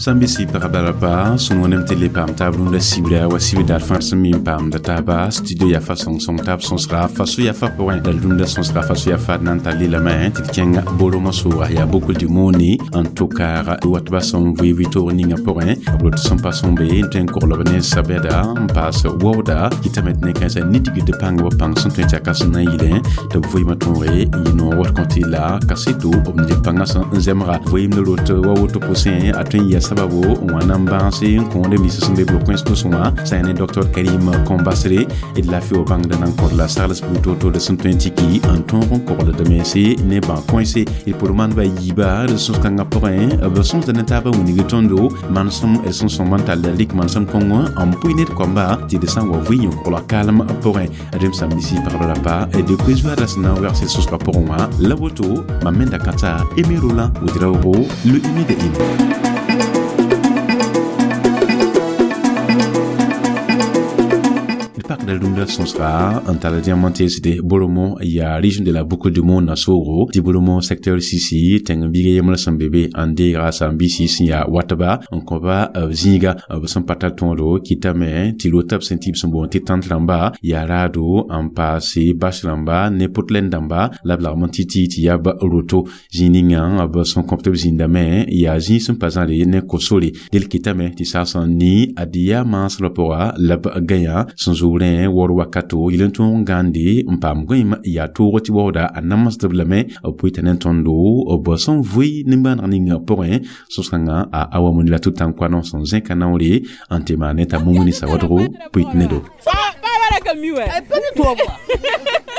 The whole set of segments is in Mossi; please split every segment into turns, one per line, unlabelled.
Sãn-bisi pagba la pa sẽn wẽnem tɩ le paam taab rũndã sibra wa sibr daar fãa sẽn mi n paamda taaba studio yaa fa sõng-sõng taab sõsga fa so-yafa pʋgẽ la rũndã sõsga fa so-yafa na n tar lelame tɩ d kẽng boromã sʋʋga yaa bukl du moni n tʋ kaag watba sẽn vɩ vɩ-toog ninga pʋgẽ b rot sẽn pa sõmbe n tõe n koglb ne sabɛda n paas waooda kɩtame tɩ ne-kãensã nidgd pãng b pãng sẽn tõe tɩ yaa ka sẽn na n yɩlẽ tɩ b vɩɩmã tõoge n yɩ noog wat kõ tɩ la kaseto b ned pãngã sẽn n zemga vɩɩmd rot wa woto pʋsẽ a tõe n yɩa sababo n wa na n bãase n kõode nins sẽn be b-kõens pʋsẽ wã sã yaa ne docteur Karim Kombasre d laafɩ wa bãngd na n kõd la sagls buud to-to d sẽn tõe n tiki n tõog n kogld mense ne bã-kõense d pʋr maandba yiiba d sõs-kãngã pʋgẽ b sõsda ne taabã wilg tõndo manesem d sẽn sõm n tall rɩk manesem kõngõ n pʋɩ ned koamba tɩ d sã n wa vɩ yõ-kogla kaalem pʋgẽ rem sãmbisi pagb rapa d koe-zoaada sẽn na n wegse sõsgã pʋgẽ wã la woto mam menda kãta Aimé Roland Ouedraogo le humide im. Pakda rũndã sõsga n tall diamantesde Boromo yaa région de la Boucle du Mont na soogo tɩ Boromo secteur sisi tẽng-biiga yembrã sẽn be be n deega sãn-biisi sẽn yaa watba n kõba b zĩiga b sẽn pa tar tõodo kɩtame tɩ rota b sẽn tɩ b sẽn boond tɩ tãnt rãmba yaa raado n paase bas rãmba ne potlen dãmba la b lagm n tɩ tɩ tɩ yaa b roto zĩig ninga b sẽn kõp tɩ b zĩndame yaa zĩig sẽn pa zãre ne ko-sore del kɩtame tɩ saas n ni ad yaa maasrã pʋga la b gãyã sẽn zoorẽ waoor wakato yel n tõog n gãande n paam gõeem yaa toog tɩ waooda a namsdb lame b pʋɩta ne tõndo b sẽn vʋɩ nimbãaneg ninga pʋgẽ sõs-kãngã a awa moni la tʋ-tãn-koanõ sẽn zẽka naoore n tɩ maan ne t'a mumuni sawadgo pʋɩt ne do.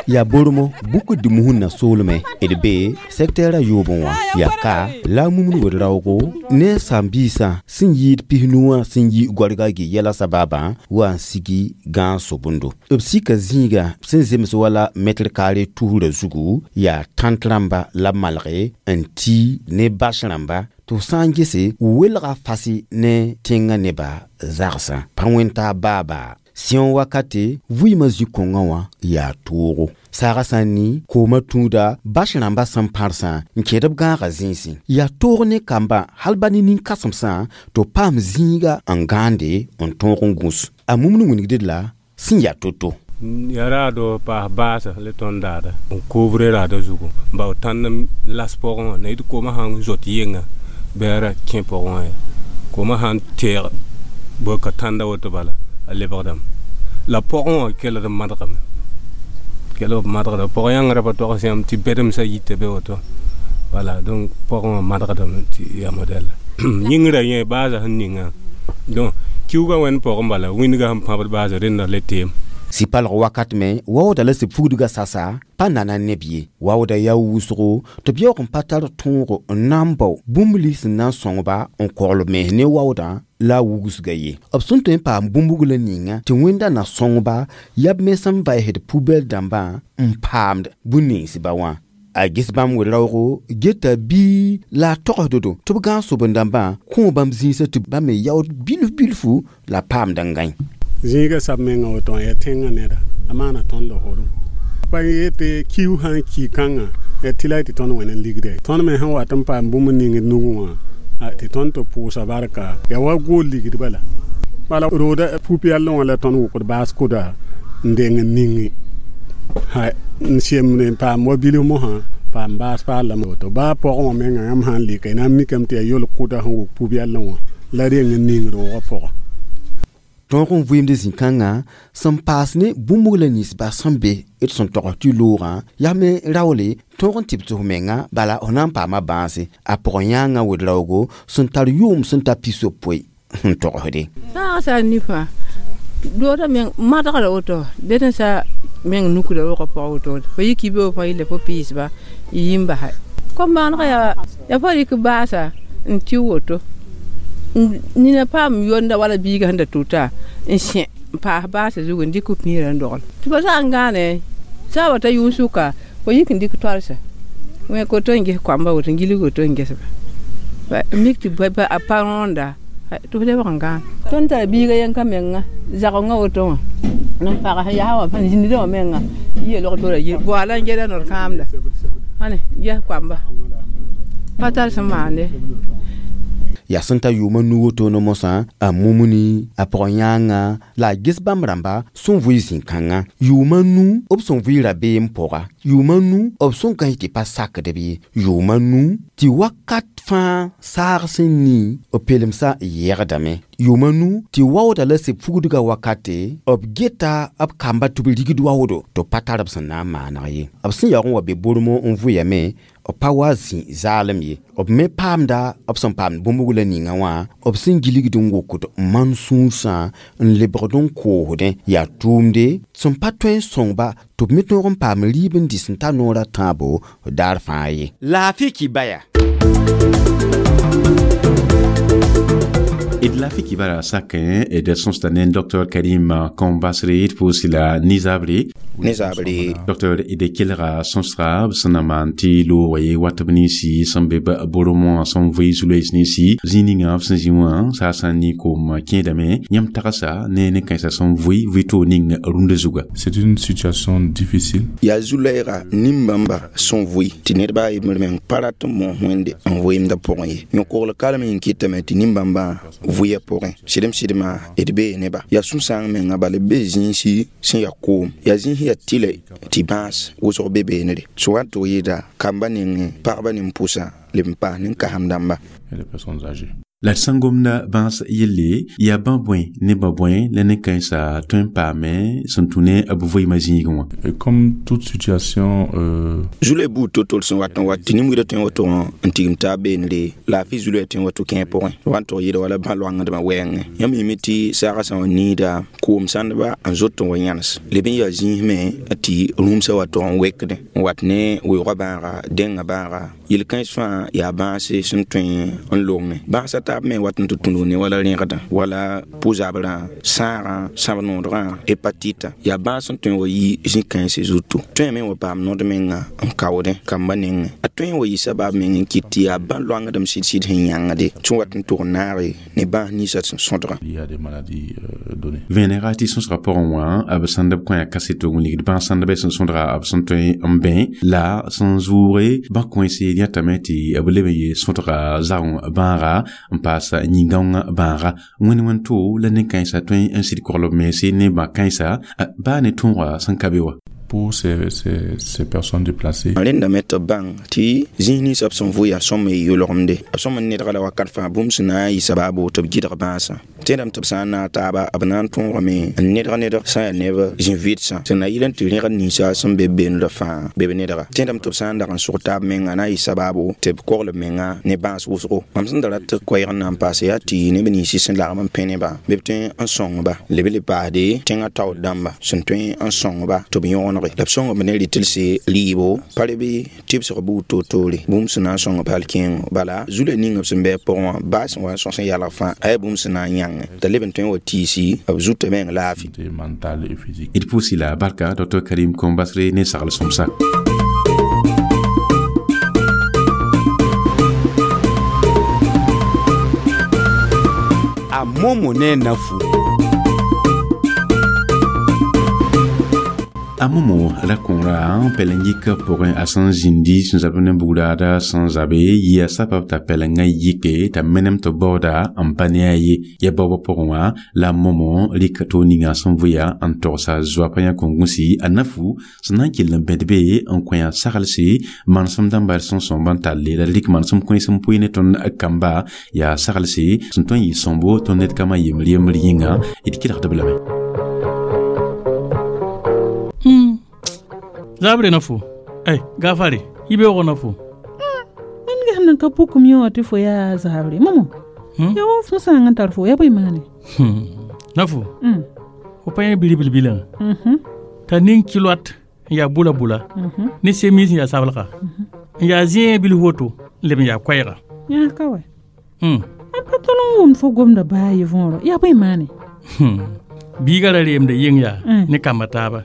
Ya Boromo buku dimuhun na soolmẽ d be sɛktɛɛrã yoobẽ wã yaa ka la a mumd wed-raoogo ne sãn-biisã sẽn yɩɩd pis-nu wã sẽn yi goarga gɩ yɛla sababã wa n sigi gãag sobendo b sika zĩiga sẽn zems wala mɛtr kaare tusrã zugu yaa tãnt rãmba la b malge n ti ne bas rãmba tɩ f sã n gese welga fasi ne tẽngã nebã zagsã pa wẽn-taab baabaa sẽong wakate vɩɩmã zĩ-kõngã wã yaa toogo saagã sã n ni koomã tũuda bas rãmbã sẽn pãrsã n kẽed b gãagã zĩisẽ yaa toog ne kambã hal ba ne nin-kãsemsã tɩ b paam zĩiga n gãande n tõog n gũs a mumd wilgd la sẽn yaa to-to.
Ya raado paas baasa le tõnd daada n couvrir raada zugu n bao tãnd las pʋgẽ wã na yɩ tɩ koomã sãn zot yenga bɩ a ra kẽ pʋgẽ wã ye koomã sãn teeg bɩ ka tãnda woto bala a lebgdame la pʋgẽ wã kelg n madgame kelg b madgda pʋg yãngrã pa togs yãmb tɩ bɛdemsã yita be woto wala donc pʋgẽ wã madgdame tɩ yaa modɛl yĩngrã yẽ baasã sẽn ninga donc kiuugã wẽnd pʋgẽ bala wĩndgã sẽn pãbd baasã rẽnda le teem.
Sɩ-palg wakat me waooda la sɩb fugdgã sasa pa nana neb ye waooda yaa wʋsgo tɩ b yaoog n pa tar tõogo n na n bao bũmb lins sẽn na n sõngba n kogl b mens ne waoodã la a wugsga ye b sẽn tõe n paam bũmb-buglã ninga tɩ wẽnda na sõngba yaa b mens n vaesd pubɛl dãmbã n paamd bũn-ninsba wã a ges bãmb wed-raoogo geta bii la a togsddo tɩ b gãag soben-dãmbã kõ bãmb zĩisã tɩ bãmb me yaood bilf bilfu la paamd n gãe.
Zĩiga sab menga woto n yaa tẽngã neda a maana tõnd la fodem pa yetɩ kiu sã n ki kãngã ya tɩ la tɩ tõnd wẽnd n ligde tõnd me sẽn wat n paam bũmb ning d nugẽ wã tɩ tõnd tɩ pʋʋsa barka ya wa gool ligd bala bala rooda pu-pɛɛlẽ wã la tõnd wʋkd baas kʋda n deng n ningi n semd n paam wa bilf mosã paam baas paal lame woto baa pɔgẽ wã menga yãmb sã n lika y na n mikame tɩ yaa yolg kʋda sẽn wʋk pu-pɛɛlẽ wã la reng n ningd wʋgã pʋgã.
Tõog n vɩɩmd zĩ-kãngã sẽn paas ne bũmb-buglã ninsba sẽn be d sẽn togs tɩ loogã yaa me raoole tõog n tɩ b tɩ f menga bala f na n paama bãase a pʋgẽ yãangã wed-raoogo sẽn tar yʋʋm sẽn ta pis-yopoe n togsde.
Saagã sã n ni fãa doodã meng madgrã woto ded n sa meng nukda wʋgã pʋgã woto fo yik yibe fo yelle fo piisba y yi n basa kom-maanegã yaa fo rɩk baasa n tɩ woto nina paam yonda wala biiga sẽn da tuta n sẽ n paas baasã zugu n dɩk piirã n dogl tɩ fa sã n gãane sã wa ta yʋʋn sʋka fo yik n dɩk toalsã wẽ koto n ges koamba woto n gilg woto n gesba mik tɩ a pa rõenda tɩ f lebg n gãan tõnd tara biiga yẽnka menga zagengã woto wã n pag yaa wã zĩndã wã menga yelg tora boala n geda nor kãamda ãne ges koamba pa tar sẽn maande.
Yaa sẽn ta yʋʋma nu woto ne mosã a mumuni a pʋg-yãangã la a ges bãmb rãmba sẽn vʋɩ zĩ-kãngã yʋʋma nu b sẽn vʋɩ rabeem pʋga yʋʋma nu b sẽn kãs tɩ pa sakdb ye yʋʋma nu tɩ wakat fãa saag sẽn ni b pelemsã yɛgdame yʋʋma nu tɩ waooda la seb fugdga wakate b geta b kamba tɩ b rigd waoodo tɩ b pa tar b sẽn na n maaneg ye b sẽn yaoog n wa be bormõ n vʋyame b pa wa zĩ zaalem ye b me paamda b sẽn paamd bũmb la ninga wã b sẽn gilgd n wokd man sũursã n lebgd n koosdẽ yaa tʋʋmde sẽn pa tõe n sõngba tɩ b me tõog n paam rɩɩb n dɩ sẽn ta noorã tãabo daar fãa ye laafɩ kibaya.
D laafɩ kibara sakẽ d sõsda ne Dr Karim Kombasre d pʋʋs la nizabre
nizabre
Dr d kelga sõsga b sẽn na maan tɩ loogã ye wat b ninsi sẽn be bormõ sẽn vɩ zu-loees ninsi zĩig ninga b sẽn zĩ wã saasã ne koom kẽedame yãmb tagsa ne ne-kãensã sẽn vʋɩ vɩ-toog ning rũndã zuga.
C'est une situation difficile.
Yaa zu-loɛɛga nin-bãmba sẽn vʋɩ tɩ nedba a yembr meng pa rat n moos wẽnde n vɩɩmdã pʋgẽ ye yõ-kogl kalem n kɩtame tɩ nin-bãmbã vʋɩa pʋgẽ sɩdem-sɩdmã d bee neba yaa sũ-sãang menga bala b bee zĩisi sẽn yaa koom yaa zĩis yaa tɩlɛ tɩ bãas wʋsg be beenre sẽn wa n tʋg yɩɩda kamba nengẽ pagba nin-pʋsã leb n paas nin-kasem dãmba.
Et les personnes âgées.
La d sẽn gomda bãas yelle yaa bã bõe ne ba bõe la ne-kãensã tõe n paame sẽn tũ ne b vɩɩmã zĩigẽ wã.
Et comme toute situation
zu-loɛɛ buud to-to sẽn wat n wat tɩ nin-wida tõe n woto n tigim taab beenre laafɩ zu-loɛɛ tõe n woto kẽer pʋgẽ wa n tʋg yɩɩda wala bã-loangdmã wɛɛngẽ yãmb yĩme tɩ saagã sã n wa niida koom sãndba n zot n wa yãnes leb n yaa zĩis me tɩ rũmsã wa tʋg n wekdẽ n wat ne weoogã bãaga dẽngã bãaga yel-kãens fãa yaa bãase sẽn tõe n longẽ bãasã taab me wat n tɩ tũnug ne wala rẽgdã wala pʋ-zabrã sãagã sãb-noodgã hepatita yaa bãas sẽn tõe n wa yi zĩ-kãense zutu tõe me n wa paam nod menga n kaoodẽ kamba nengẽ a tõe n wa yɩ sabaab meng n kɩt tɩ yaa bã-loangdem sɩd-sɩd sẽn yãngde sẽn wat n tʋg naage ne bãas ninsã sẽn sõdgã.
Il y a des maladies données.
Vẽnega tɩ sõsgã pʋgẽ wã b sãnd b kõ kaseto n ligd bãas sãndbã sẽn sõdga b sẽn tõe n bẽ la sẽn zʋʋge bã-kõense yãtame tɩ b leb n yee sõdga zao bãaga n paas yĩn-gãongã bãaga wẽn-wẽn to la ne-kãensã tõe n sɩd kogl b mense ne bã-kãensa baa ne tõoga sẽn ka be wa.
Pour ces personnes déplacées.
Rẽndame tɩ b bãng tɩ zĩis ninsã b sẽn vʋ yaa sõm y yolgemde b sõm n nedga la wakat fãa bũmb sẽn na n yɩ sabaabo tɩ b gɩdg bãasã tẽedame tɩ b sã n naag taaba b na n tõogame n nedg nedg sã n yaa neb zĩ-vɩdsã sẽn na yɩl n tɩ rẽgd ninsã sẽn be beenrã fãa be b nedga tẽedame tɩ b sã n dag n sʋg taab menga na n yɩ sabaabo tɩ b kogl b menga ne bãas wʋsgo mam sẽn da rat tɩ koɛɛg n na n paase yaa tɩ neb ninsi sẽn lagm n pẽ nebã bɩ b tõe n sõngba leb le paasde tẽngã taoor dãmba sẽn tõe n sõngba tɩ b yõgenege la b sõng b ne rɩtelse rɩɩbo pa reb tɩbsg buud toor-toore bũmb sẽn na n sõng b hal kẽengo bala zu-loɛɛ ning b sẽn bɩ a pʋgẽ wã baa sẽn wa n sõs n yalg fãa a yaa bũmb sẽn na n yãngẽ t'a leb n tõe n wa tiisi b zutã meng laafɩ.
Mentale et physique.
D pʋʋsi la barka Dr Karim Kombasre ne sagl sõmsa.
A momo ne nafu.
A momo ra kõora pɛleng-yikã pʋgẽ a sẽn zĩndi sẽn zab ne bugraada sẽn zabe yɩa sabab t'a pɛlengã yike t'a menem tɩ baooda n pa ne a ye ya baoobã pʋgẽ wã la momo rɩk toog ninga sẽn vʋya n togsa zoapã yã kõn-gũsi a nafu sẽn na n kell n bẽd be n kõ yã saglse manesem dãmba d sẽn sõmb n talle la rɩk manesem kões n pʋɩ ne tõnd kamba yaa saglse sẽn tõe n yɩ sõmbo tõnd ned kambã yembr yembr yĩnga d kelgd b lame.
Zabre na fo ay gafare ibe wo na fo
min ga nan ka pukum yo ti fo ya zabre momo ya wo fo sa ngan tar fo ya boy mane
na fo fo pa bili bili bilan ta nin kilot ya bula bula ni semis ya sabalka ya zin bil hoto leb ya koyra
ya kawai an patolon wum fo gomda ba yi vonro ya boy mane
bigara rem de yin ya ni kamata ba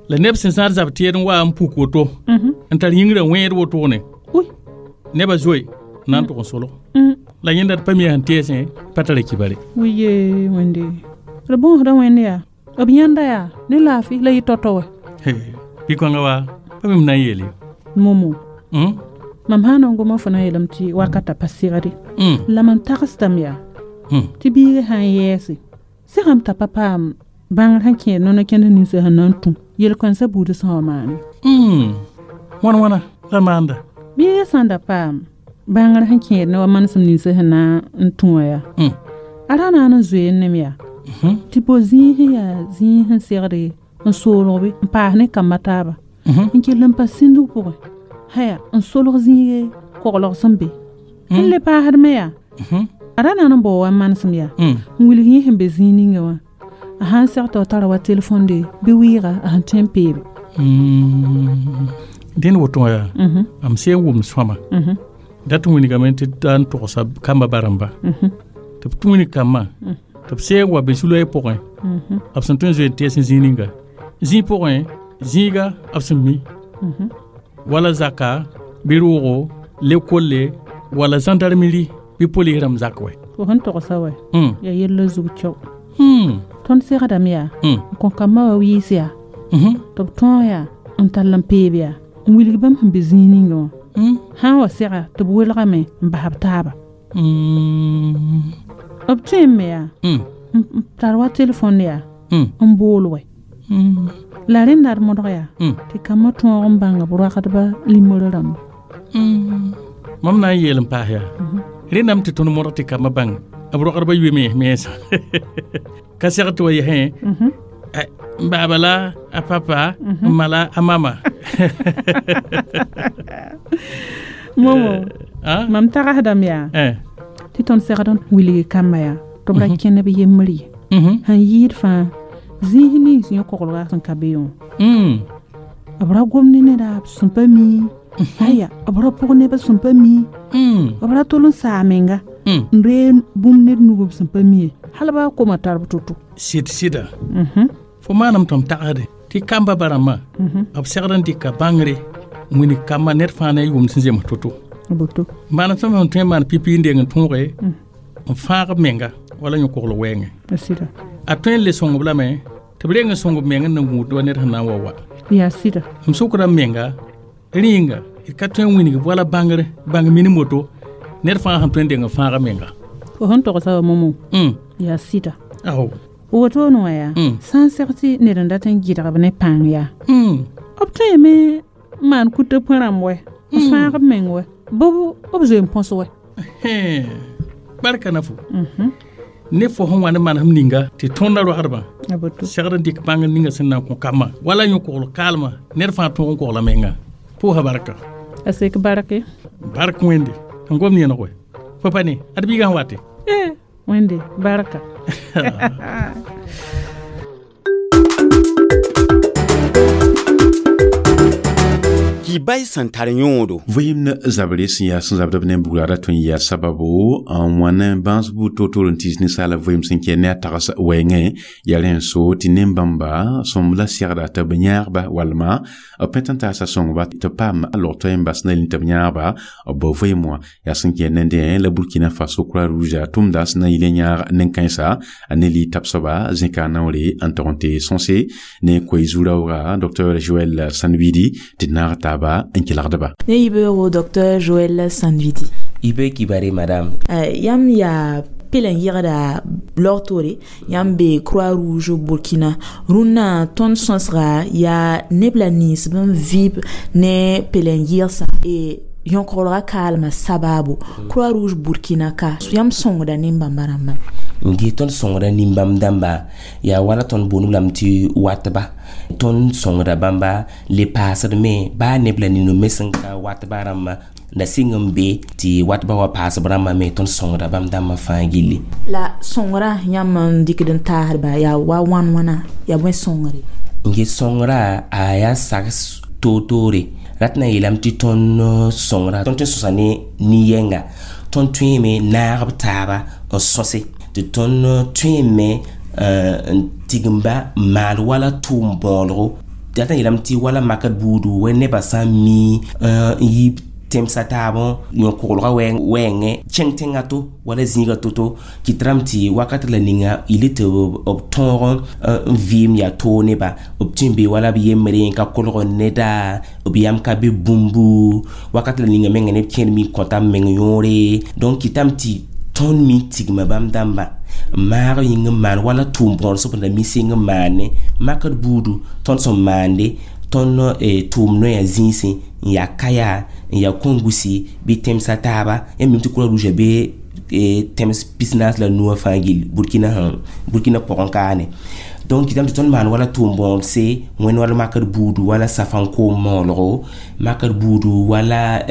la neb sẽn sãad zab tɩɛd n wa n puk woto n tar yĩngrã wẽed wotone nebã zoe na n tʋg n solg la yẽnda d pa mi sẽn teesẽ pa tara kibare
wiye wẽnde d bõosda wẽnd yaa b yãnda yaa ne laafɩ la yɩ tao-tao wa
bɩ kõnga wa pa mem na n yeele
momo Mam sã n goma fo na n yeelame tɩ wakata pa segde. La mam tagsdame yaa tɩ biiga sã n yɛɛse segame t'a pa paam bãngr sẽn kẽed nono kẽnd ninsã sẽn na n tũ yel-kãensã buudã sã wa maane.
Wãn wãna la maanda?
Biiga sã n da paam bãngr sẽn kẽed ne wa manesem ninsã sẽn na n tũ wã yaa a ra na n zoe n nem yaa tɩ bo zĩig sẽn yaa zĩig sẽn segde n soolgbe n paas ne kamba taaba n kell n pa sĩndg pʋgẽ haya n solg zĩige koglg sẽn be n le paasdme yaa a ra na n bao wa manesem yaa n wilg yẽ sẽn be zĩig ninga wã a sãn seg tɩ tara wa telefonde bɩ wɩɩga a sẽn tõe n peebe.
Dẽnd woto wã yaa am sẽn wʋmd sõama dat n wilgame tɩ da n togsa kamba barãmba tɩ b tũ wilg kambã tɩ b sẽn wa be-suloɛɛ pʋgẽ b sẽn tõe n zoe n tɛɛs zĩig ninga zĩig pʋgẽ zĩiga b sẽn mi wala zaka bɩ roogo lekolle wala gendarmerie bɩ polis rãmb zak wɛ.
Fo sẽn togsa wɛ yaa yella zug cao tõnd segdame yaa n kõ kambã wa wɩɩs yaa tɩ b tõog yaa n tall n peeb yaa n wilg bãmb sẽn be zĩig ninga wã sã n wa sega tɩ b welgame n bas b taaba b tõeme yaa n tar wa telefon yaa n bool wɛ la rẽnda d modg yaa tɩ kambã tõog n bãnga b roagdba limorã rãmba.
Mam na n yeel n paas yaa rẽndame tɩ tõnd modg tɩ kambã bãng b roagdba yoe mensã ka seg tɩ wa yɛsẽ n baaba la a papa n ma la a mama.
Momo mam tagsdame yaa tɩ tõnd segd n wilg kambã yaa tɩ b ra kẽnd b yembr ye sẽn yɩɩd fãa zĩis nins yõ-koglga sẽn ka be wã b ra gom ne neda b sẽn pa mi aya b ra pʋg neb b sẽn pa mi b ra tol n saa menga n ree bũmb ned nug b sẽn pa mi ye hal baa koma tar b to-to.
Sɩd sɩda fo maaname tɩ m tagsde tɩ kamba barãmbã b segd n dɩka bãngre n wilg kambã ned fãa ne a yʋʋmd sẽn zems to-to. Manem sõm sẽn tõe n maan pipi n deng n tõoge n fãag b menga wala yõ-kogl wɛɛngẽ a tõe n le sõng b lame tɩ b reng n sõng b meng n na gũud wa ned sẽn na n wa wa.
Yaa sɩda.
M sʋkda m menga rĩnga d ka tõe n wilg wala bãngr bãng minim woto ned fãa sẽn tõe n deng n fãag a menga.
Fo sẽn togsa wa momo yaa sɩda.
Ao
wotone wã yaa sã n seg tɩ ned n dat n gɩdg b ne pãng yaa b tõeme n maan kuta põ rãmb wɛ n fãag b meng wɛ bɩ b zoe n põs wɛ.
Barka na fo ne fo sẽn wa ne manesem ninga tɩ tõndã roagdbã segd n dɩk bãngr ninga sẽn na n kõ kambã wala yõ-kogl kaalmã ned fãa tõog n kogla menga pʋʋsa barka.
A sek barke.
Bark wẽnde n gom yẽneg wɛ fo pa ne ad biigã sẽn wate.
Wẽnde barka.
Bay sẽn tar yõodo.
Vɩɩmd zabre sẽn yaa sẽn zabd b ne bugra ra tõe n yaa sababo n wã ne bãas buud toor-toor n tis ninsaala vɩɩm sẽn kɛ ne a tags wɛɛngẽ yaa rẽ n so tɩ nen-bãmba sõmb la segda tɩ b yãagba walma b pẽt n taasa sõngba tɩ paam a log toɛ n bas na tɩ b yãagba b bao vɩɩm wã yaa sẽn kɛ nendẽ la Burkina Faso Croix Rouge tʋmda sẽn na n yɩl n yãag nen-kãensa a ne li-tab soaba zẽka naoore n tog n tɩ sõse ne koe zu-raooga Dr Joël Sanwidi tɩ d naag taaba n kelgdba.
Ne yibeoogo Dr Joël Sanvidi.
Ibe kibare madame.
Yam ya pelen yegda logtore yãmb be Croix Rouge Burkina rũnnã tõnd sõsga yaa neb la nins b n vɩb ne pelen yɩgsã e yõkglga kaalmã sabaabo Croix Rouge Burkina ka yãmb sõngda nin-bãmba rãmbã.
N gee tõnd sõngda nin-bãmb dãmba yaa wala tõnd boond lame tɩ watba tõnd sõngda bãmba le paasd me baa neb la nino me sẽn ka watba rãmbã la sɩng n be tɩ watba wa paasb rãmbã me tõnd sõngda bãmb dãmbã fãa gilli.
La sõngrã yãmb n dɩkd n taasdba yaa wa wãn wãna yaa bõe sõngre?
N get sõngrã a yaa sags toor-toore rat na yeelame tɩ tõnd sõngrã tõnd tõe n sõsa ne nin-yɛnga tõnd tõeme naag b taaba n sõse tɩ tõnd tõeme n tigimba n maal wala tʋʋm bõodgo rat n yeelame tɩ wala makd buudu wa nebã sã n mi n yi tẽmsa taab yõ-koglgã wɛɛngẽ kẽng tẽngã to wala zĩiga to-to kɩtrame tɩ wakat la ninga yɩl tɩ b tõog n vɩɩm yaa toog neba b tũ n be wala b yembre n ka kolg neda b yam ka be bũmbu wakat la ninga menga neb kẽer mi kõta b meng yõore donc kɩtame tɩ tõnd mi tigma bãmb dãmba maag yĩng n maan wala tʋʋm bõor sẽn da mi seng n maane makr buudu tõnd sẽn maande tõnd tʋʋm noya zĩisẽ n yaa kaya n yaa kõngusi bɩ tẽmsã taaba yãmb mim tɩ croix rouge be tẽms pisnaas la nuwã fãa gill burkina burkina pʋgẽ kaane donc kɩtame tɩ tõnd maan wala tʋʋm bõodse wẽnd wala makr buudu wala safan koom moolgo makr buudu wala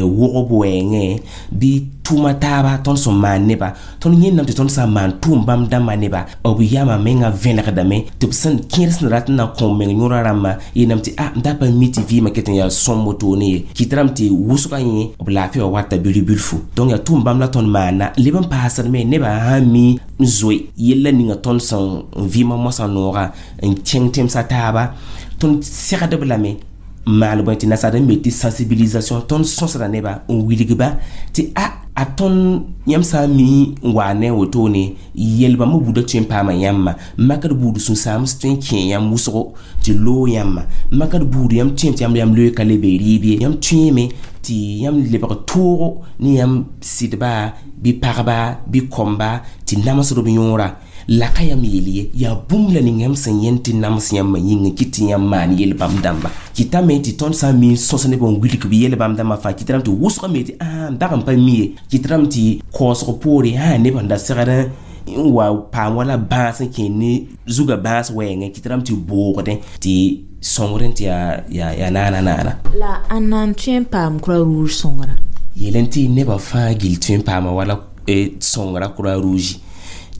wogb wɛɛngẽ bɩ tʋʋma taaba tõnd sẽn maan neba tõnd yẽndame tɩ tõnd sã n maan tʋʋm bãmb dãmbã neba b yamã menga vẽnegdame tɩ b sẽn kẽer sẽn rat n na kõ meng yõra rãmbã yeelame tɩ a m da pa mi tɩ vɩɩmã ket n yaa sõm wotone ye kɩtrame tɩ wʋsgã yẽ b laafɩ wa wata bilf-bilfu donc yaa tʋʋm bãmb la tõnd maana leb n paasdme nebã sã n mi n zoe yella ninga tõnd sẽn vɩɩmã moasã noogã n kẽng tẽmsã taaba tõnd segdb lame n maal bõe tɩ nasaar n me tɩ sensibilisation tõnd sõsda neba n wilgba tɩ a tõnd yãmb sã n mi n waa ne wotone yel-bãmb buudã tõe n paama yãmba makr buud sũ-sãams tõe n kẽ yãmb wʋsgo tɩ loog yãmba makr buud yãmb tõe tɩ yãmb loe ka le be rɩɩb ye yãmb tõeeme tɩ yãmb lebg toogo ne yãmb sɩdba bɩ pagba bɩ kõmba tɩ namsd b yõora la ka yãmb yel ye yaa bũmb la ning yãmb sẽn yẽnd tɩ nams yãmbã yĩng kɩ tɩ yãmb maan yel-bãmb dãmba kɩtame tɩ tõnd sã n mi n sõs neb n wilg b yel-bãmb dãmbã fãa kɩtrame tɩ wʋsgame tɩ n dag n pa mi ye kɩtrame tɩ kaoosg poore sã neb sẽn da segd n wa paam wala bãas n kẽ ne zugã bãas wɛɛngẽ kɩtrame tɩ boogdẽ tɩ sõngr tɩ yaa naana naana
la ãnna n tõe n paam croix rouge sõngrã
yel n tɩ nebã fãa gill tõe n paama wala sõngrã croix rouge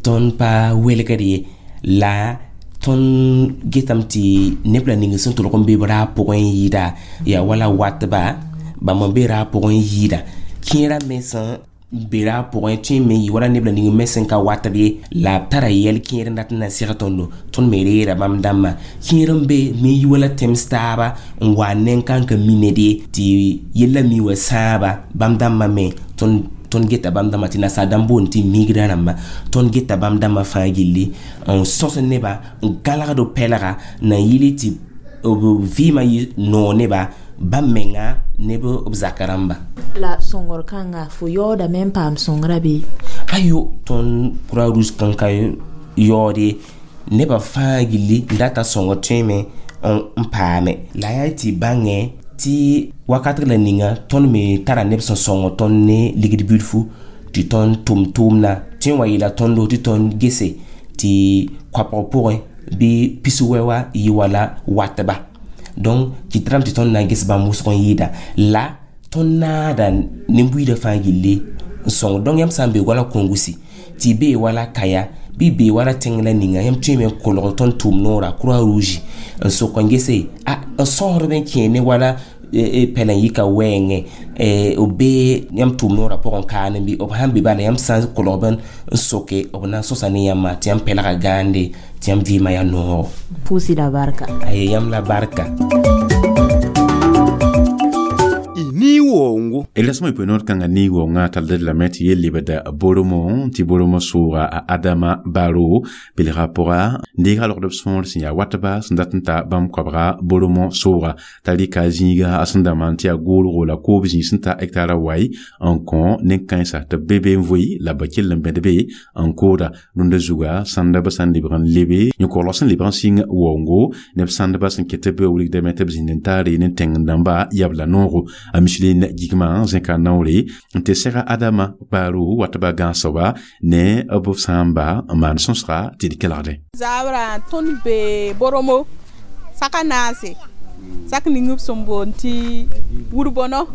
tõnd pa welgd ye la tõnd getame tɩ neb la ning sẽn tolg n be b raab pʋgẽ n yɩɩda yaa wala watba bãmb n be raab pʋgẽ n yɩɩda kẽerã me sẽn be raab pʋgẽ tõe n me yɩ wala neb la ning me sẽn ka watb ye la b tara yɛl kẽer n dat n na seg tõndo tõnd me reera bãmb dãmbã kẽer n be me yi wala tẽms taaba n wa neng-kãn ka mi ned ye tɩ yella mi wa sãaba bãmb dãmbã me tõnd geta bãmb dãmbã tɩ nasaar dãmb boond tɩ migrã rãmba tõnd geta bãmb dãmbã fãa gilli n sõs neba n gãlgd b pɛlga na n yɩl tɩ b vɩɩmã yɩ noog neba bãmb menga neb b zaka rãmba
la sõngr kãnga fo yaoodame n paam sõngrã bɩ
ayo tõnd croix rouge kan ka yaood ye nebã fãa gilli n data sõngr tõeme n paame la yaa tɩ bãngẽ tɩ wakat la ninga tõnd me tara neb sẽn sõng tõnd ne ligd bilfu tɩ tõnd tʋm tʋʋmdã tõe n wa yeela tõndo tɩ tõnd gese tɩ koapg pʋgẽ bɩ pis-wɛ wa yɩ wala watba donc kɩtrame tɩ tõnd na n ges bãmb wʋsg n yɩɩda la tõnd naada nin-buiidã fãa gilli n sõng donc yãmb sã n be wala kõngusi tɩ y bee wala kaya bɩ bee wala tẽng la ninga yãmb tõeme n kolg tõnd tʋʋm noora croix rouge n sok n gese a n sõsdb n kẽ ne wala pɛl n yika wɛɛngẽ b bee yãmb tʋʋm noorã pʋgẽ kaane bɩ b sãn be bala yãmb sã n kolgb n soke b na n sõsa ne yãmbã tɩ yãmb pɛlga gãande tɩ yãmb vɩɩmã yaa noogo
pʋʋs-y la barka
aye yãmb la barka
ni wongo
elasmo ipo kanga ni wonga talde la met ye libada boromo ti boromo sura a adama baro bilga pora ndiga lord son sin ya watba sindatnta bam kwabra boromo sura tali ka zinga asinda manti a golo la ko bi sinta hektara wai en kon nen kansa te bebe mvoi la bakil mbedbe en koda nunda zuga sanda basan libran lebe nyoko losan libran sing wongo neb sanda basan ketebe wulik de meteb zindentare nen tengndamba yabla noro a Micheline Gigma zẽka naoore n tɩ sɛga Adama Baro watba gãasoaba ne b sãamba n maan sõsga tɩ d kelgdẽ.
Zabrã tõnd be Boromo saka naase sak ning b sẽn boond tɩ wur-bõno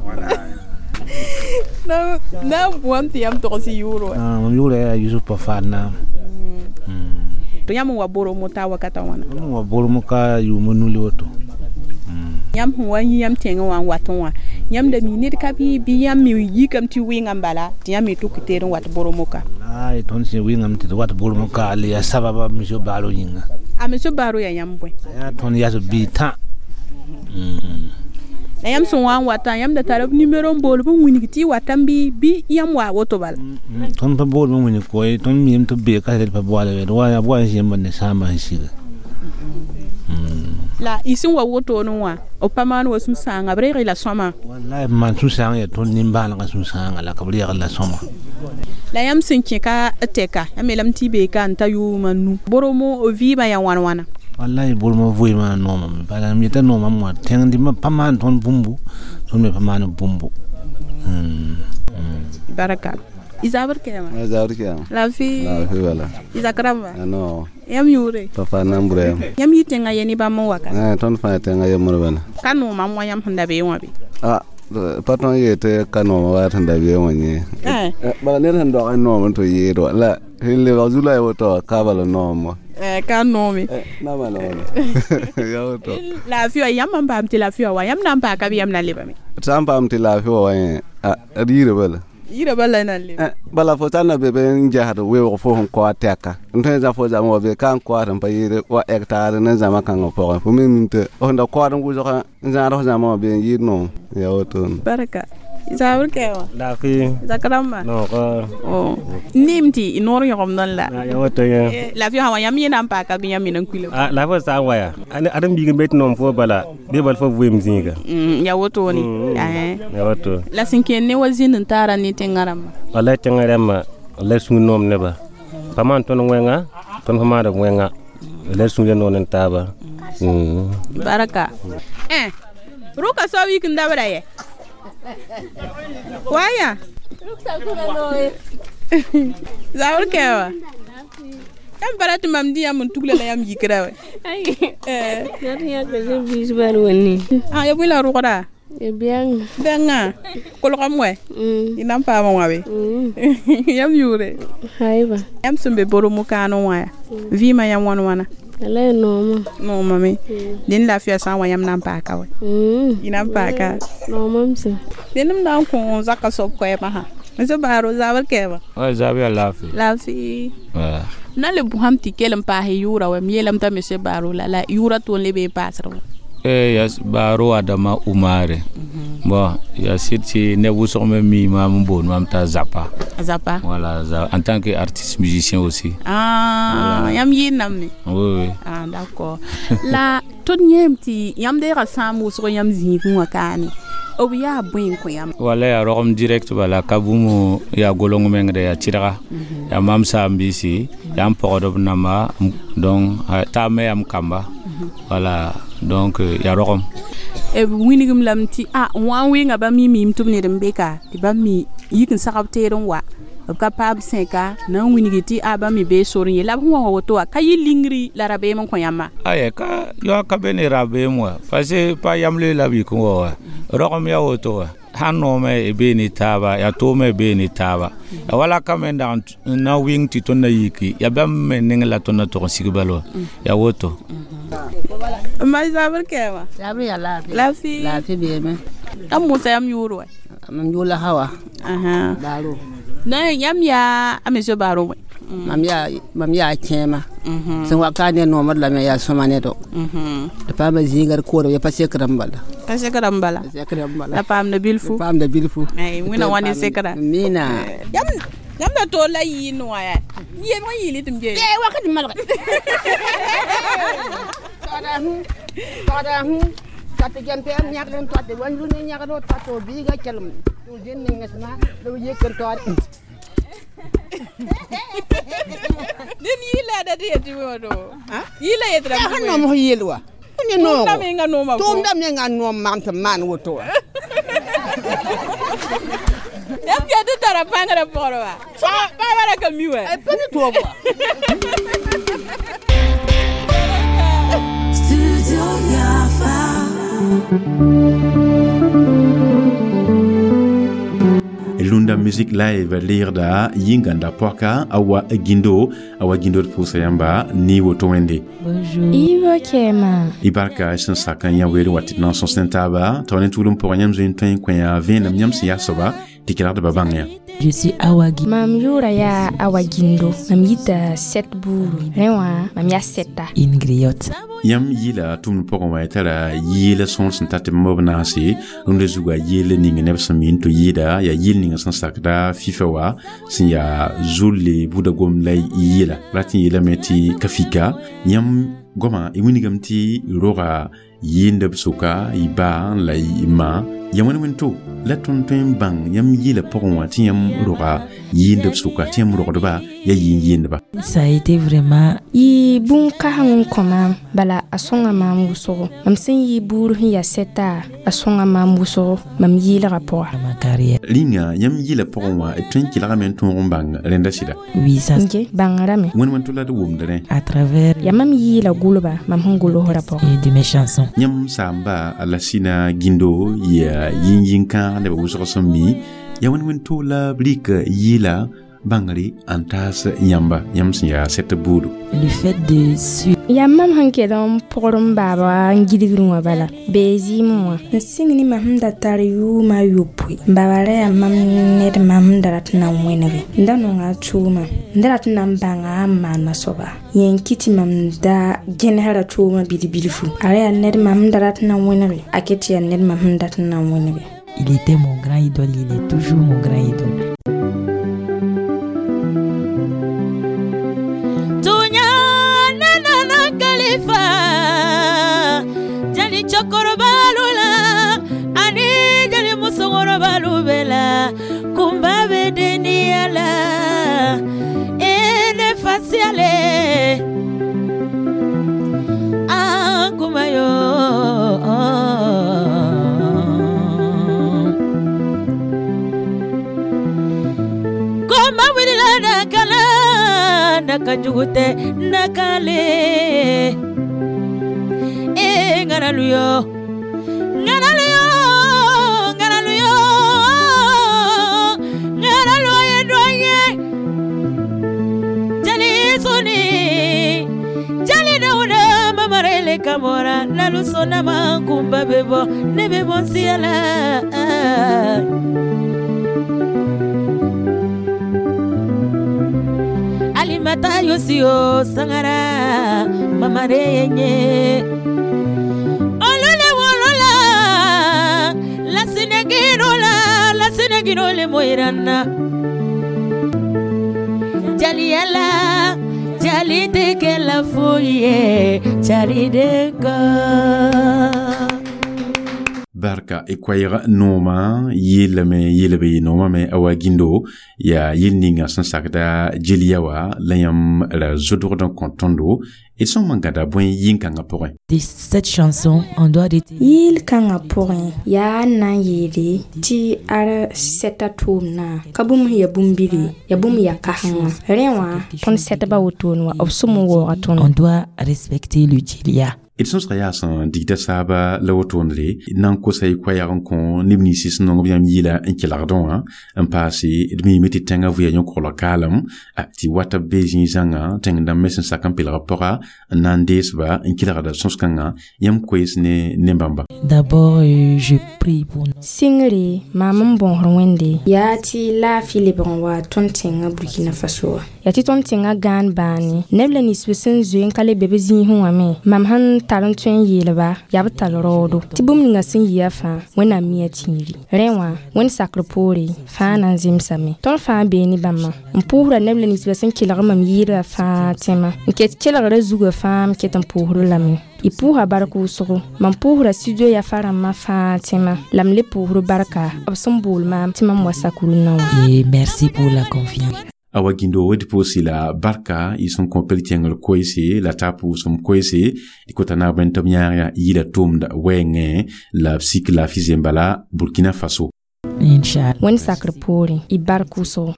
na n bũam tɩ yãmb togs y yʋʋr wa.
Mam yʋʋra yaa Yusuf Pafadna.
Tɩ yãmb n wa Boromo t'a wakata wãna?
Mam wa Boromo ka yʋʋm nu le woto.
Yãmb sẽn wa yĩ yãmb tẽngẽ wã n watẽ wã yãmb da mi ned ka bɩ yãmb me yikame tɩ wɩngame bala tɩ yãmb me tʋk teed n wat Boromo ka.
Ay tõnd sẽn wɩngame tɩ d wat Boromo ka le yaa sababa monsieur Baro yĩnga.
A monsieur Baro yaa yãmb bõe?
Yaa tõnd yas bi tã.
La yãmb sẽn wa n watã yãmb da tara b nimero n bool b n wilg tɩ y watame bɩ bɩ yãmb waa woto bala.
Tõnd pa bool b n wilg koe, tõnd miime tɩ b bee ka pa boala d wa b wa n zẽmb ne sãambã sẽn siga.
La y sẽn wa wotone wã b pa maan wa sũ-sãanga b reeg la sõama.
Wallahi b maan sũ-sãang yaa tõnd nimbãanegã sũ-sãanga la ka b reeg la sõma.
La yãmb sẽn kẽ ka tɛka yãmb yeelame tɩ y bee ka n ta yʋʋm a nu boromo vɩɩmã yaa wãn wãna.
Wallahi boromo vɩɩmã noomame bala m yeta noomame wã tẽng dĩmbã pa maan tõnd bũmbu, tõnd me pa maan bũmbu.
Baraka. Izabr kɛma.
Izabr kɛma.
Lafi.
Lafi wala.
Izakramba.
Ano.
Yam yure.
Papa nambre.
Yam yi tẽngã ye ne bãmb n waka.
Eh tõnd fãa tẽngã yembr bala.
Ka noomam wã yãmb sẽn da bee wã be.
Ah pa tõnd yee tɩ ka nooma wa sẽn da bee wã yẽ. Bala ned sẽn dog n noom n tɩ yeed wa la sẽn lebg zu la y woto ka bala noom wa.
Ka noome.
Nama noome. Ya woto.
Laafɩ wa yãmb n paam tɩ laafɩ wa yãmb na n paa ka bɩ yãmb na lebame.
Tɩ sã n paam tɩ laafɩ wa wa yẽ a d yira bala.
Yira bala na lebe.
Bala fo sã n na be be n gesd weoog fo sẽn kao tɛka n tõe n zã fo zãma wa be ka n koaad n pa yɩɩd wa hectare ne zãma kãngã pʋgẽ fo me mim tɩ f da koaad n wʋsg n zãad f zãma wã be n yɩɩd noom ya wotone.
Barka. Zabr kɛwa.
Lafi.
Zakramba.
Nogo.
Oh. Nim tɩ noor yõgemdẽ la.
Ya woto yẽ.
Laafɩ sã wa yãmb yẽ na n paaka bɩ yãmb me na n kuila.
Ah laafɩ sã n wa yaa. Ãdem biig n be tɩ noom fo bala bɩ bal fo vɩɩm zĩiga.
Ya wotone.
Ya woto.
La sẽn kẽer ne wa zĩnd n taara ne tẽngã rãmbã.
Wallahi tẽngã rãmbã la sũur noom neba. Pa maan tõnd wẽnga, tõnd pa maand wẽnga. La sũur noon n taaba.
Baraka. Eh. Rʋka soab yik n dabda yɛ. Waya. Zabr kɛwa. Yãmb pa rat tɩ mam dĩ yãmb n tugla la yãmb yikra wɛ. Ah, ya bõe la rʋgda?
Bɛŋ.
Bɛŋã. Kolgame wɛ? Y na n paama wã be? Yãmb yʋʋre?
Haiba.
Yãmb sẽn be boromo kaanẽ wã yaa vɩɩmã yã wãn wãna?
Ala ya nooma.
Noomame. Dẽnd laafɩya sã n wa yãmb na n paaka wɛ? Y na n paaka.
Noomam sẽn.
Dẽnd m na n kõ zakã soab koɛɛmã sã. M baaro zabr kɛɛma.
Wa zabr yaa laafɩ.
Laafɩ. Na le bʋsãm tɩ kell n paas y yʋʋra wɛ m yeelame t'a monsieur Baaro la yʋʋra toon leb n paasd wã.
Ya Baaro Adama Oumare. Bon, ya sɩd tɩ neb wʋsg me mi maam n boond mam t'a Zapa.
Zapa.
Voilà, en tant qu'artiste musicien aussi.
Ah, yãmb yɩɩd me.
Oui, oui.
Ah, d'accord. La tõnd yẽem tɩ yãmb deega sãam wʋsg yãmb zĩigẽ wã kaane. B yaa bõe n kõ yãmb?
Wala yaa rogem direct bala ka bũmb yaa golong mengde yaa tɩdga yaa mam saam-biisi yaa n pɔgd b namba donc taab me yaa m kamba voilà donc yaa rogem.
B wilgem lame tɩ a n wa n wɩnga bãmb yẽ miime tɩ b ned n be ka tɩ bãmb me yik n sagb teed n wa b ka paam sẽka na n wilgi tɩ a bãmb me bee sor n ye la b sẽn wa wa woto wã ka yɩ lingri la rabeem n kõ yãmba.
Aya ka yã ka be ne rabeem wã parce que pa yamle la b yik n wa wa rogem yaa woto wa sãn noome y bee ne taaba yaa toome y bee ne taaba ya wala ka me n dag n na wɩng tɩ tõnd na yiki yaa bãmb me neng la tõnd na tog n sig bal wa yaa woto.
Ma zabr kɛɛma.
Zabr yaa laafɩ.
Laafɩ.
Laafɩ beeme.
Yãmb mosa yãmb yʋʋr wɛ?
Mam yʋʋr la Hawa. Baaro.
Na yãmb yaa a monsieur Baaro wɛ?
Mam yaa kẽema. Sẽn wa ka ne noomd lame yaa sõma ne do. Tɩ paama zĩiga d koorem ya pa sekr n bala.
Ka sekr n bala. La paamda bilfu.
Paamda bilfu.
Wẽna wa ne sekra.
Mina.
Yãmb da toor la yɩɩnd wã yaa. Yem n yɩɩl tɩ m gee.
Wakat malge. Tɔgda tɩ gɛm tɩ m yãgd n toate wa yʋ ne yãgd toate biiga kelem tɩ zĩnd nengesmã la b yik n toade.
Dẽnd yɩɩla da tɩ yetɩ woto. Yɩɩla yetɩ
ra sẽn noom f yeel wa. Ne noogo.
Tʋʋmda menga nooma
Tʋʋmda menga n noom maam tɩ m maan woto wa.
Yãmb yaa tɩ tara pãngrã pʋgr wa. Paaba ra ka mi wɛ.
Pa ne toob wa.
Studio Yafa.
Lunda Music Live leegda yĩngãnda pɔka a wa gindo a wa gindo d pʋʋsa yãmba ne woto wẽnde.
Ibo kɛɛma.
Y barka sẽn sak n yã weer n wa tɩ d na n sõs ne taaba tao ne tʋʋlem pʋgẽ yãmb zoe n tõe n kõ yã vẽenem yãmb sẽn yaa soaba Tɩ kelgdbã bãng yã.
Je suis Awagi.
Mam yʋʋra yaa Awa Gindo. Mam yita sɛt buuru. Rẽ wã mam yaa sɛta.
Une griotte.
Yãmb yɩla tʋmd pʋgẽ wã tara yɩɩla sõor sẽn tat tɩ b naase rũndã zugu a yeel ning neb sẽn mi n tɩ yɩɩda yaa yɩl ninga sẽn sakda FIFA wa sẽn yaa zulle buda gom la yɩla rat n yeelame tɩ ka fika yãmb goama y wilgame tɩ roga yɩɩndb sʋka y ba la y ma ya wẽn wẽn to la tõnd tõe n bãng yãmb yɩɩla pʋgẽ wã tɩ yãmb roga yɩɩndb sʋka tɩ yãmb rogdba yaa yɩɩn yɩɩndba.
Ça a été vraiment
Yɩ bũn-kãseng n kõ maam bala a sõnga maam wʋsgo. Mam sẽn yɩ buur sẽn yaa sɛta a sõnga maam wʋsgo mam yɩɩlgã pʋga.
Ma carrière.
Rĩnga yãmb yɩɩla pʋgẽ wã d tõe n kelgame n tõog n bãng rẽnda sɩda.
Oui, ça
Nge bãngrame.
Wẽn wẽn to la d wʋmd rẽ.
À travers
Yaa mam yɩɩla gʋlba mam sẽn gʋlsrã pʋgẽ.
Et de mes chansons.
Yãmb saamba Alasina Gindo yaa yĩn-yĩn-kãag neb wʋsg sẽn mi yaa wẽn wẽn to la b rɩk yɩɩla bãngre n taas yãmba yãmb sẽn yaa sɛt buudu.
Le fait de suivre
Yaa mam sẽn kell n pʋgr n baaba n gilgrẽ wã bala bee zɩɩmẽ wã n sɩng ne mam sẽn da tar yʋʋma a yopoe n baaba ra yaa mam ned mam sẽn da rat n na n wẽnege n da nonga a tʋʋma n da rat n na n bãnga n maana soaba yẽ n kɩ tɩ mam da gẽnesra tʋʋmã bilf-bilfu a ra yaa ned mam sẽn da rat n na n wẽnege a ket tɩ yaa ned mam sẽn dat n na n wẽnege.
Il était mon grand idole, il est toujours mon grand idole.
Tunya nana kalifa jali cɛkɔrɔbalu la ani jali musokɔrɔbalu bɛɛ la kunba bɛ deniya la e ne fasiyale an kuma yo. Koma wulila nakala nakajugu tɛ nakale e ŋanalu yo ŋanalu yo ŋanalu yo ŋanalu ye dɔ ye jali soni jali dawuda mamarele kamora lalu sɔnna ma kunba bɛ bɔ ne bɛ bɔ n siya la. Alimata yosio sangara mamare yenye olole wolola la sinegiro la la sinegiro le moirana jaliala jali de ke la foye jali de ko.
Barka y koɛɛg noomã yeelame yeelb y noomã me Awa Gindo yaa yel ninga sẽn sakda jeliya wa la yãmb ra zodgd n kõ tõndo d sõm n gãda bõe yĩn-kãngã pʋgẽ.
De cette chanson, on doit retenir
Yɩɩl-kãngã pʋgẽ yaa n na n yeele tɩ ad sɛta tʋʋmdã ka bũmb sẽn yaa bũmb-bili yaa bũmb yaa kãsenga rẽ wã tõnd sɛtbã wotone wã b sʋm n waooga tõndo.
On doit respecter le djelia.
D sõsga yaa sẽn digda saaba la wotondre na n kosa y koɛɛg n kõ neb ninsɩ sẽn nong b yãmb yɩɩla n kelgdẽ wã n paase d miime tɩ tẽngã vʋya yõ-koglg kaalem tɩ wata b bee zĩig-zãnga tẽng dãmb me sẽn sak n pelg b pʋga n na n deesba n kelgda sõs-kãngã yãmb koees ne ne-bãmba.
D'abord, je prie pour nous.
Sɩngre maam n bõosd Wẽnde yaa tɩ laafɩ lebg n wa tõnd tẽngã Burkina Faso wã yaa tɩ tõnd tẽngã gãan bãane neb la ninsb sẽn zoe n ka le be b zĩisẽ wã me mam sẽn tar n tõe n yeelba yaa b tall raoodo tɩ bũmb ninga sẽn yɩa fãa Wẽnnaam mia tĩiri rẽ wã Wẽnd sakr poore fãa na n zemsame tõnd fãa bee ne bãmba n pʋʋsra neb la ninsbã sẽn kelg mam yɩɩdbã fãa tẽmã n ket kelgrã zugã fãa m ket n pʋʋsd lame y pʋʋsa bark wʋsgo mam pʋʋsra studio Yafa rãmbã fãa tẽmã la m le pʋʋsd barka b sẽn bool maam tɩ mam wa sak rũnnã wã.
Et merci pour la confiance.
Awa Gindo d pʋʋsi la barka y sẽn kõ pel kẽngr koeese la t'a pʋʋsem koeese d kota naab tɩ b yãag yaa yɩɩla tʋʋmd wɛɛngẽ la b sik laafɩ zembala Burkina Faso.
Inch'Allah.
Wẽnd sakr poorẽ y bark wʋsgo.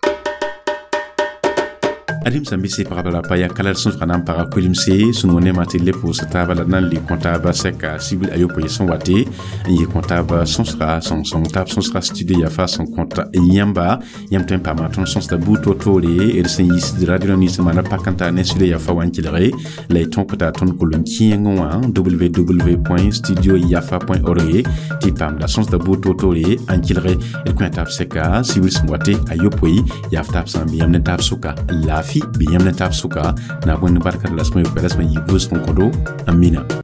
Ad-m sãn bɩ pagba la pa ya ka la d sõsga na n paga kolimse sẽn wõ nemã tɩ le pʋʋs taaba la d na n le kõ taaba sɛka sibil ayopoe sẽn wate n yɩ kõ taaba sõsga sõng-sõng taab sõsga studio yafa sẽn kõt yãmba. Yãmb tõe n paama tõnd sõsda buud to-toore d sẽn yiisd radio nins n maana pak n tar ne studio yafa wã n kelge la y tõkda tõnd kolon-kẽeng wã www.studioyafa.org tɩ y paamda sõsda buud to-toore n kelge. D kõ taab sɛka sibil sẽn wate ayopoe yaaf taab sã n bɩ yãmb ne taab sʋka laafɩ, bɩ yãmb ne taab sʋka na bõe ne barka la sẽn yopoe la sẽn yi vʋʋsg n kõdo. Amina.